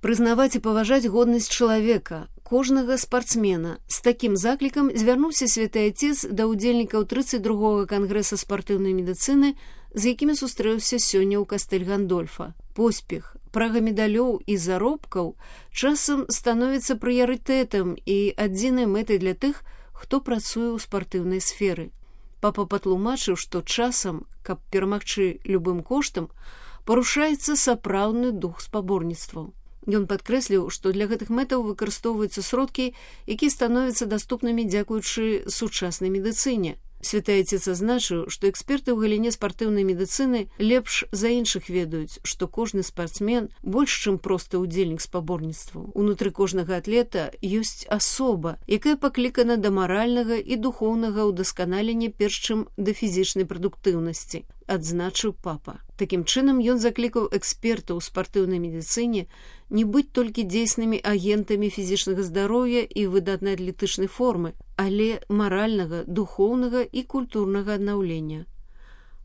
Прызнаваць і паважаць годнасць чалавека, кожнага спартсмена. З такім заклікам звярнуўся святы Отец да ўдзельнікаў 32-го кангрэса спартыўнай медыцыны, з якімі сустрэўся сёння ў Кастэль-Гандольфа. Поспех, прага медалёў і заробкаў часам становіцца прыярытэтам і адзінай мэтай для тых, хто працуе ў спартыўнай сферы. Папа патлумачыў, што часам, каб перамагчы любым коштам, парушаецца сапраўдны дух спаборніцтваў. Ён падкрэсліў, што для гэтых мэтаў выкарыстоўваюцца сродкі, якія становяцца даступнымі дзякуючы сучаснай медыцыне. Святы Отец азначыў, што эксперты ў галіне спартыўнай медыцыны лепш за іншых ведаюць, што кожны спартсмен больш, чым просты ўдзельнік спаборніцтваў. Унутры кожнага атлета ёсць асоба, якая паклікана да маральнага і духоўнага ўдасканалення перш чым да фізічнай прадуктыўнасці, адзначыў папа. Такім чынам ён заклікаў экспертаў у спартыўнай медыцыне не быць толькі дзейснымі агентамі фізічнага здароўя і выдатнай атлетычнай формы, але маральнага, духоўнага і культурнага аднаўлення.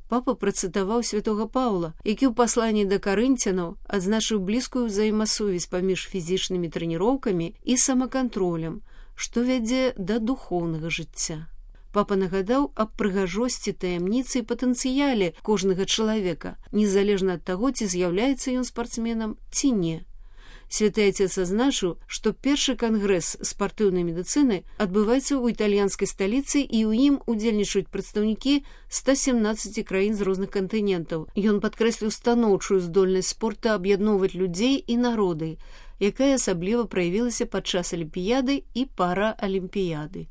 Папа працытаваў святога Паўла, які ў пасланні да карынцянаў адзначыў блізкую ўзаемасувязь паміж фізічнымі трэніроўкамі і самакантролем, што вядзе да духоўнага жыцця. Папа нагадаў аб прыгажосці, таямніцы і патэнцыяле кожнага чалавека, незалежна ад таго, ці з'яўляецца ён спартсменам ці не. Святы Отец азначыў, што першы кангрэс спартыўнай медыцыны адбываецца ў італьянскай сталіцы і ў ім удзельнічаюць прадстаўнікі 117 краін з розных кантынентаў. Ён падкрэсліў станоўчую здольнасць спорта аб'ядноўваць людзей і народы, якая асабліва праявілася падчас алімпіяды і параалімпіяды.